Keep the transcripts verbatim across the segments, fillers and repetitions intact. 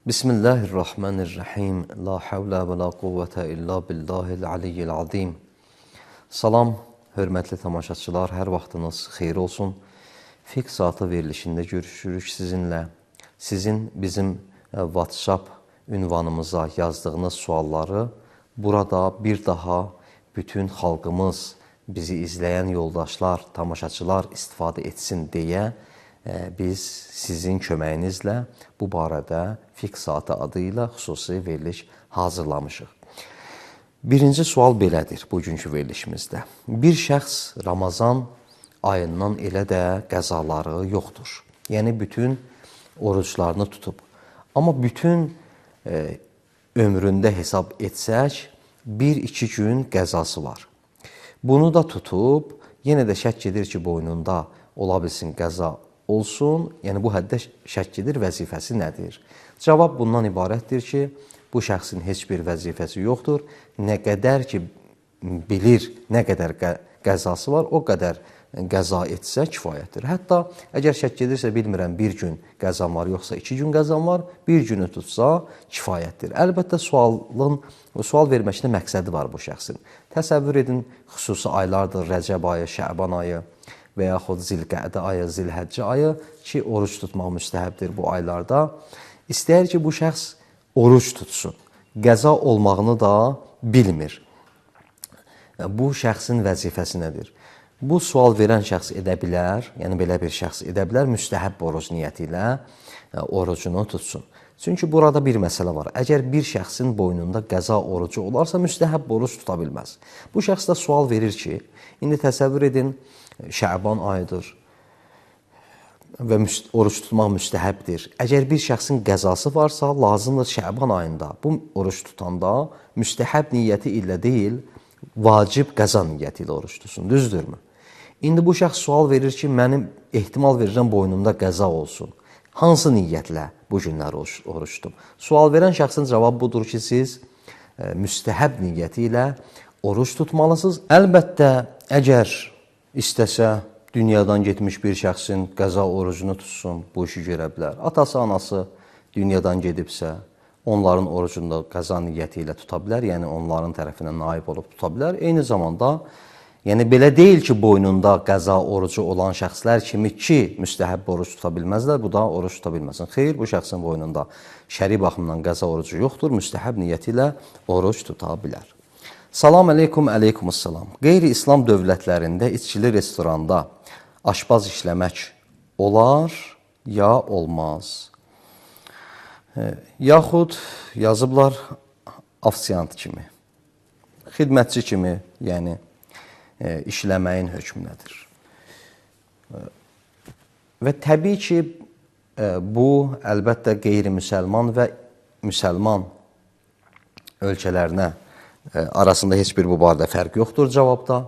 Bismillahirrahmanirrahim. La havlə və la quvvətə illa billahil aliyyil azim. Salam, hörmətli tamaşaçılar, hər vaxtınız xeyir olsun. Fiqh saatı verilişində görüşürük sizinlə. Sizin bizim WhatsApp ünvanımıza yazdığınız sualları burada bir daha bütün xalqımız, bizi izləyən yoldaşlar, tamaşaçılar istifadə etsin deyə biz sizin köməyinizlə bu barədə Fiqh saatı adı ilə xüsusi veriliş hazırlamışıq. Birinci sual belədir bugünkü verilişimizdə. Bir şəxs Ramazan ayından elə də qəzaları yoxdur. Yəni, bütün oruclarını tutub. Amma bütün e, ömründə hesab etsək, bir iki gün qəzası var. Bunu da tutub, yenə də şək edir ki, boynunda ola bilsin qəza olsun, yəni bu həddə şək edir, vəzifəsi nədir? Cavab bundan ibarətdir ki, bu şəxsin heç bir vəzifəsi yoxdur. Nə qədər ki, bilir, nə qədər qəzası var, o qədər qəza etsə kifayətdir. Hətta əgər şək edirsə, bilmirəm, bir gün qəzam var, yoxsa iki gün qəzam var, bir günü tutsa kifayətdir. Əlbəttə, sualın, sual verməkdə məqsədi var bu şəxsin. Təsəvvür edin, xüsusi aylardır, Rəcəb ayı, Şəban ayı, və yaxud Zilqədə ayı, Zilhəccə ayı ki, oruc tutmaq müstəhəbdir bu aylarda. İstəyir ki, bu şəxs oruc tutsun. Qəza olmağını da bilmir. Bu şəxsin vəzifəsi nədir? Bu sual verən şəxs edə bilər, yəni belə bir şəxs edə bilər, müstəhəb oruc niyyəti ilə orucunu tutsun. Çünki burada bir məsələ var. Əgər bir şəxsin boynunda qəza orucu olarsa, müstəhəb oruc tuta bilməz. Bu şəxs də sual verir ki, indi təsəvvür edin, Şəban ayıdır və oruc tutmaq müstəhəbdir. Əgər bir şəxsin qəzası varsa, lazımdır Şəban ayında bu oruc tutanda müstəhəb niyyəti ilə deyil, vacib qəza niyyəti ilə oruc tutsun, düzdürmü? İndi bu şəxs sual verir ki, mənim ehtimal verirəm boynumda qəza olsun. Hansı niyyətlə bu günləri oruc tutum? Sual verən şəxsin cavabı budur ki, siz e, müstəhəb niyyəti ilə oruc tutmalısınız. Əlbəttə, əgər istəsə, dünyadan getmiş bir şəxsin qəza orucunu tutsun, bu işi görə bilər. Atası, anası dünyadan gedibsə, onların orucunda qəza niyyəti ilə tuta bilər, yəni onların tərəfindən naib olub tuta bilər. Eyni zamanda, yəni belə deyil ki, boynunda qəza orucu olan şəxslər kimi ki, müstəhəb oruc tuta bilməzlər, bu da oruc tuta bilməsin. Xeyr, bu şəxsin boynunda şəri baxımdan qəza orucu yoxdur, müstəhəb niyyəti ilə oruc tuta bilər. Salam əleykum, əleykumussalam. Qeyri-İslam dövlətlərində içkili restoranda aşpaz işləmək olar, ya olmaz. Yaxud yazıblar afisiyant kimi, xidmətçi kimi, yəni işləməyin hökmünədir. Və təbii ki, bu əlbəttə qeyri-müsəlman və müsəlman ölkələrinə arasında heç bir bu barədə fərq yoxdur cavabda.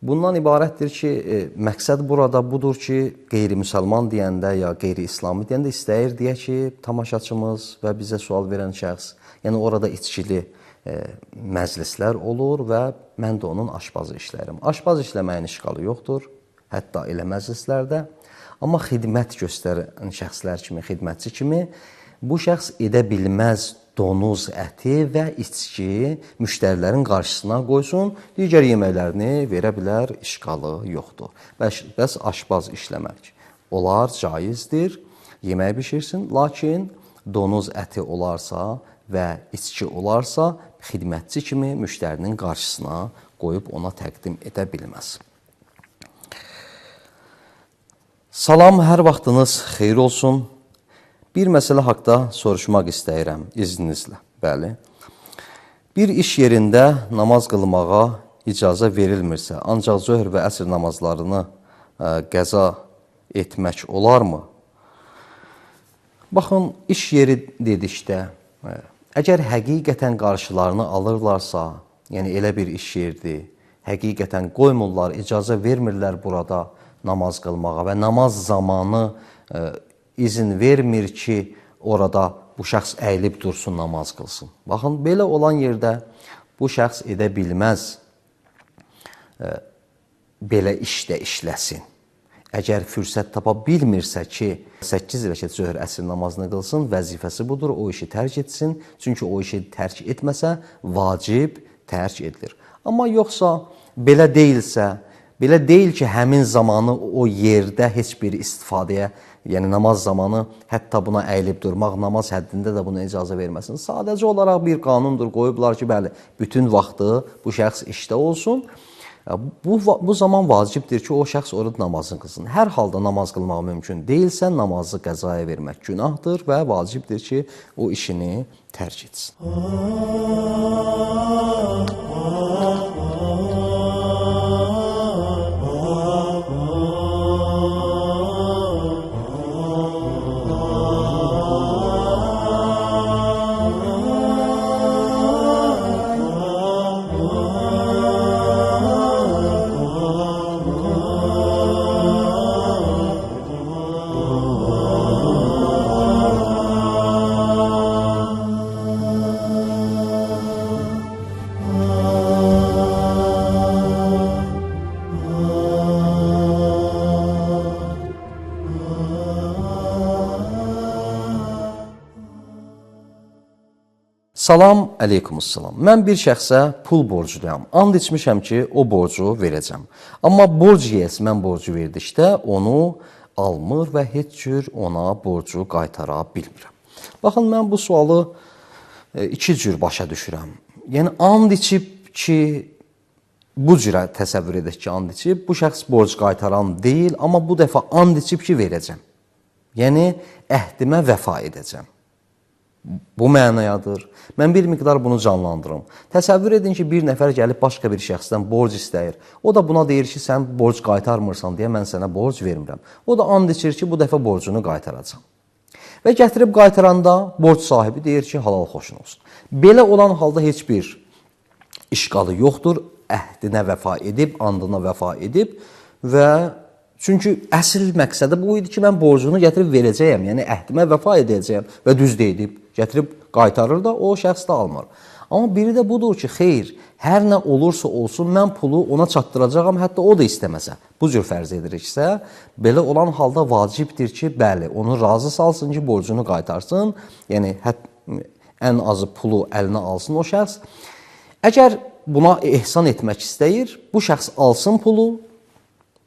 Bundan ibarətdir ki, məqsəd burada budur ki, qeyri-müsəlman deyəndə ya qeyri-İslami deyəndə istəyir deyə ki, tamaşaçımız və bizə sual verən şəxs, yəni orada içkili e, məclislər olur və mən də onun aşpazı işlərim. Aşpaz işləməyin işğalı yoxdur, hətta elə məclislərdə. Amma xidmət göstərən şəxslər kimi, xidmətçi kimi bu şəxs edə bilməz donuz əti və içki müştərilərin qarşısına qoysun, digər yeməklərini verə bilər, işğalı yoxdur. Bəs, bəs aşpaz işləmək olar, caizdir, yemək bişirsin, lakin donuz əti olarsa və içki olarsa, xidmətçi kimi müştərinin qarşısına qoyub ona təqdim edə bilməz. Salam, hər vaxtınız xeyir olsun. Bir məsələ haqda soruşmaq istəyirəm, izninizlə. Bəli. Bir iş yerində namaz qılmağa icazə verilmirsə, ancaq zöhr və əsr namazlarını ə, qəza etmək olarmı? Baxın, iş yeri dedikdə, ə, əgər həqiqətən qarşılarını alırlarsa, yəni elə bir iş yerdir, həqiqətən qoymurlar, icazə vermirlər burada namaz qılmağa və namaz zamanı ə, izin vermir ki, orada bu şəxs əyilib dursun, namaz qılsın. Baxın, belə olan yerdə bu şəxs edə bilməz, e, belə işdə işləsin. əgər fürsət tapa bilmirsə ki, səkkiz rəkət zöhr əsr namazını qılsın, vəzifəsi budur, o işi tərk etsin. Çünki o işi tərk etməsə, vacib tərk edilir. Amma yoxsa belə deyilsə, belə deyil ki, həmin zamanı o yerdə heç bir istifadəyə, yəni namaz zamanı hətta buna əyilib durmaq, namaz həddində də buna icazə verməsin. Sadəcə olaraq bir qanundur, qoyublar ki, bəli, bütün vaxtı bu şəxs işdə olsun. Bu, bu zaman vacibdir ki, o şəxs orada namazını qılsın. Hər halda namaz qılmaq mümkün deyilsə, namazı qəzaya vermək günahdır və vacibdir ki, o işini tərk etsin. Salam, əleykumussalam. Mən bir şəxsə pul borcluyam. And içmişəm ki, o borcu verəcəm. Amma borc yiyəsi mən borcu verdikdə onu almır və heç cür ona borcu qaytara bilmirəm. Baxın, mən bu sualı iki cür başa düşürəm. Yəni, and içib ki, bu cürə təsəvvür edək ki, and içib, bu şəxs borc qaytaran deyil, amma bu dəfə and içib ki, verəcəm. Yəni, əhdimə vəfa edəcəm. Bu mənayadır. Mən bir miqdar bunu canlandırım. Təsəvvür edin ki, bir nəfər gəlib başqa bir şəxsdən borc istəyir. O da buna deyir ki, sən borc qaytarmırsan deyə mən sənə borc vermirəm. O da and içir ki, bu dəfə borcunu qaytaracam. Və gətirib qaytaranda borc sahibi deyir ki, halal xoşun olsun. Belə olan halda heç bir işqalı yoxdur. Əhdinə vəfa edib, andına vəfa edib və çünki əsl məqsədi bu idi ki, mən borcunu gətirib verəcəyəm, yəni əhdimə vəfa edəcəyəm və düz deyib, gətirib qaytarır da, o şəxs də almır. Amma biri də budur ki, xeyr, hər nə olursa olsun, mən pulu ona çatdıracağam, hətta o da istəməsə. Bu cür fərz ediriksə, belə olan halda vacibdir ki, bəli, onu razı salsın ki, borcunu qaytarsın, yəni hət, ən azı pulu əlinə alsın o şəxs. Əgər buna ehsan etmək istəyir, bu şəxs alsın pulu,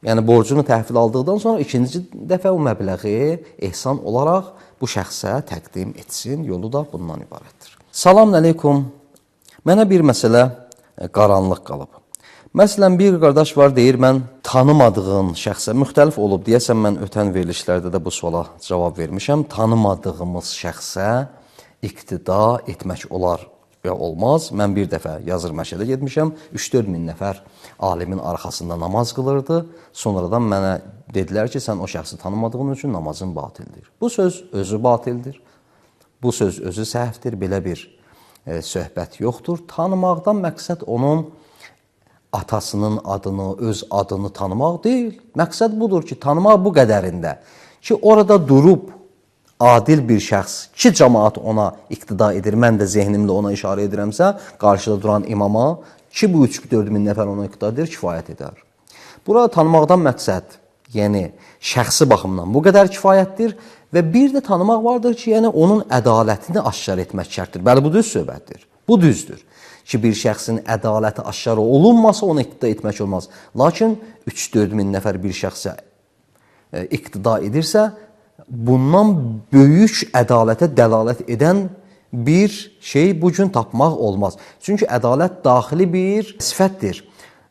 yəni borcunu təhvil aldıqdan sonra ikinci dəfə o məbləği ehsan olaraq bu şəxsə təqdim etsin. Yolu da bundan ibarətdir. Salam əleykum. Mənə bir məsələ qaranlıq qalıb. Məsələn, bir qardaş var, deyir, mən tanımadığın şəxsə, müxtəlif olub, deyəsən mən ötən verilişlərdə də bu suala cavab vermişəm. Tanımadığımız şəxsə iqtida etmək olar və olmaz. Mən bir dəfə yazır məşədə getmişəm, üç dörd min nəfər alimin arxasında namaz qılırdı. Sonradan mənə dedilər ki, sən o şəxsi tanımadığın üçün namazın batildir. Bu söz özü batildir. Bu söz özü səhvdir. Belə bir e, söhbət yoxdur. Tanımaqdan məqsəd onun atasının adını, öz adını tanımaq deyil. Məqsəd budur ki, tanımaq bu qədərində ki, orada durub adil bir şəxs, ki, cəmaat ona iqtida edir, mən də zehnimlə ona işarə edirəmsə, qarşıda duran imama, ki, bu üç dörd min nəfər ona iqtida edir, kifayət edər. Burada tanımaqdan məqsəd, yəni şəxsi baxımdan bu qədər kifayətdir və bir də tanımaq vardır ki, yəni onun ədalətini aşkar etmək şərtdir. Bəli, bu düz söhbətdir, bu düzdür ki, bir şəxsin ədaləti aşkar olunmasa ona iqtida etmək olmaz. Lakin üç dörd min nəfər bir şəxsə e, iqtida edirsə, bundan böyük ədalətə dəlalət edən bir şey bu gün tapmaq olmaz. Çünki ədalət daxili bir sifətdir.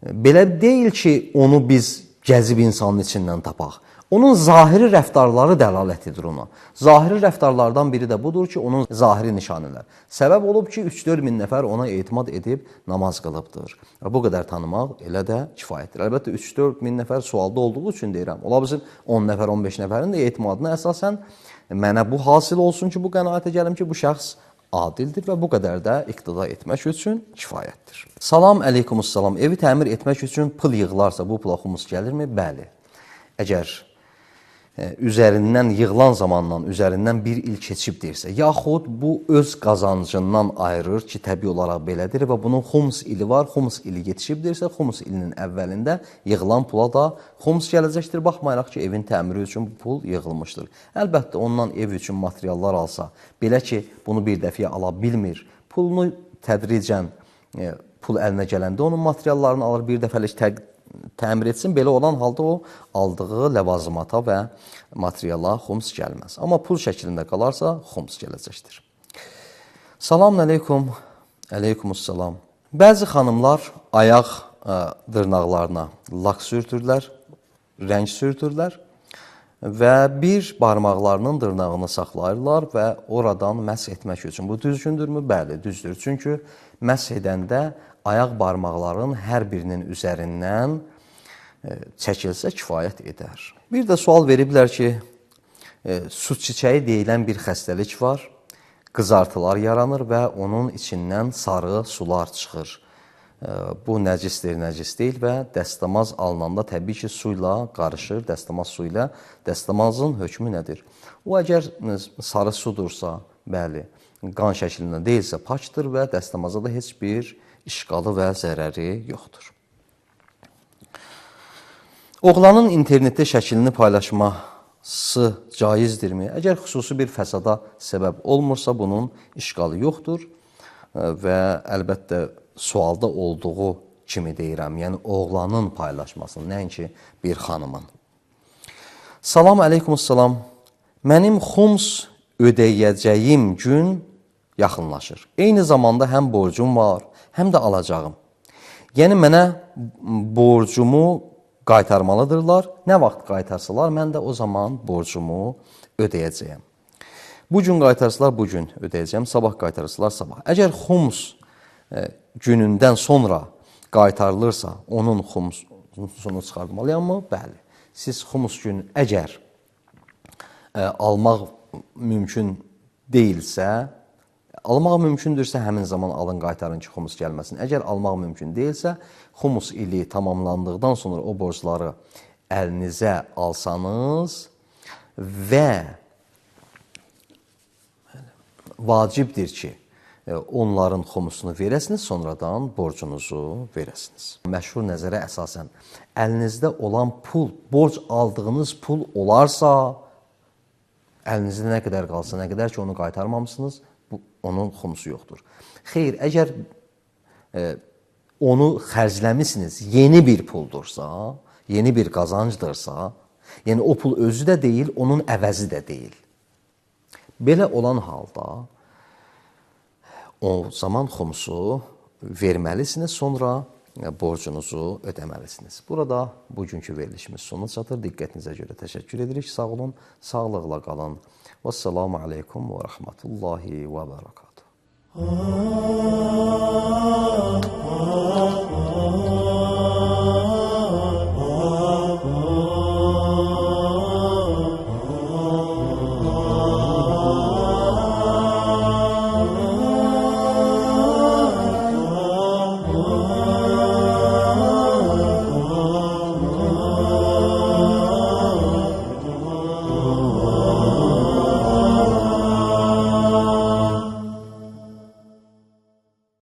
Belə deyil ki, onu biz gəzib insanın içindən tapaq. Onun zahiri rəftarları dəlalət edir ona. Zahiri rəftarlardan biri də budur ki, onun zahiri nişanələr. Səbəb olub ki, üç dörd min nəfər ona etimad edib namaz qılıbdır. Bu qədər tanımaq elə də kifayətdir. Əlbəttə, üç dörd min nəfər sualda olduğu üçün deyirəm. Ola bilsin, on nəfər, on beş nəfərin də etimadına əsasən mənə bu hasil olsun ki, bu qənaətə gəlim ki, bu şəxs adildir və bu qədər də iqtida etmək üçün kifayətdir. Salam, əleykumussalam. Evi təmir etmək üçün pul yığılarsa bu pula xumus gəlirmi? Bəli. Əgər üzərindən yığılan zamandan üzərindən bir il keçibdirsə, yaxud bu öz qazancından ayırır ki, təbii olaraq belədir və bunun xums ili var, xums ili yetişibdirsə, xums ilinin əvvəlində yığılan pula da xums gələcəkdir, baxmayaraq ki, evin təmiri üçün bu pul yığılmışdır. Əlbəttə, ondan ev üçün materiallar alsa, belə ki, bunu bir dəfiyə ala bilmir, pulunu tədricən e, pul əlinə gələndə onun materiallarını alır, bir dəfəlik tə təmir etsin, belə olan halda o aldığı ləvazımata və materiala xums gəlməz. Amma pul şəklində qalarsa, xums gələcəkdir. Salam əleykum, əleykumussalam. Bəzi xanımlar ayaq ə, dırnaqlarına lak sürtürlər, rəng sürtürlər və bir barmaqlarının dırnağını saxlayırlar və oradan məsh etmək üçün. Bu düzgündürmü? Bəli, düzdür. Çünki məsh edəndə ayaq barmaqların hər birinin üzərindən e, çəkilsə kifayət edər. Bir də sual veriblər ki, e, su çiçəyi deyilən bir xəstəlik var, qızartılar yaranır və onun içindən sarı sular çıxır. E, bu nəcisdir, nəcis deyil və dəstəmaz alınanda təbii ki, su ilə qarışır, dəstəmaz su ilə. Dəstəmazın hökmü nədir? O, əgər sarı sudursa, bəli, qan şəklində deyilsə, pakdır və dəstəmaza da heç bir işqalı və zərəri yoxdur. Oğlanın internetdə şəklini paylaşması caizdirmi? Əgər xüsusi bir fəsada səbəb olmursa, bunun işqalı yoxdur və əlbəttə sualda olduğu kimi deyirəm, yəni oğlanın paylaşmasını, nəinki bir xanımın. Salam əleykumussalam. Mənim xums ödəyəcəyim gün yaxınlaşır. Eyni zamanda həm borcum var, həm də alacağım. Yəni, mənə borcumu qaytarmalıdırlar. Nə vaxt qaytarsalar, mən də o zaman borcumu ödəyəcəyəm. Bu gün qaytarsalar, bu gün ödəyəcəyəm. Sabah qaytarsalar, sabah. Əgər xums e, günündən sonra qaytarılırsa, onun xumsunu çıxartmalıyam mı? Bəli. Siz xums günü əgər e, almaq mümkün deyilsə, almaq mümkündürsə, həmin zaman alın, qaytarın ki, xumus gəlməsin. Əgər almaq mümkün deyilsə, xumus ili tamamlandıqdan sonra o borcları əlinizə alsanız və vacibdir ki, onların xumusunu verəsiniz, sonradan borcunuzu verəsiniz. Məşhur nəzərə əsasən, əlinizdə olan pul, borc aldığınız pul olarsa, əlinizdə nə qədər qalsa, nə qədər ki, onu qaytarmamışsınız, bu, onun xumusu yoxdur. Xeyr, əgər e, onu xərcləmişsiniz, yeni bir puldursa, yeni bir qazancdırsa, yəni o pul özü də deyil, onun əvəzi də deyil. Belə olan halda, o zaman xumusu verməlisiniz, sonra borcunuzu ödəməlisiniz. Burada bugünkü verilişimiz sona çatır. Diqqətinizə görə təşəkkür edirik. Sağ olun, sağlıqla qalın. Vəssalamu aleykum və rəhmətullahi və bərəkatuhu.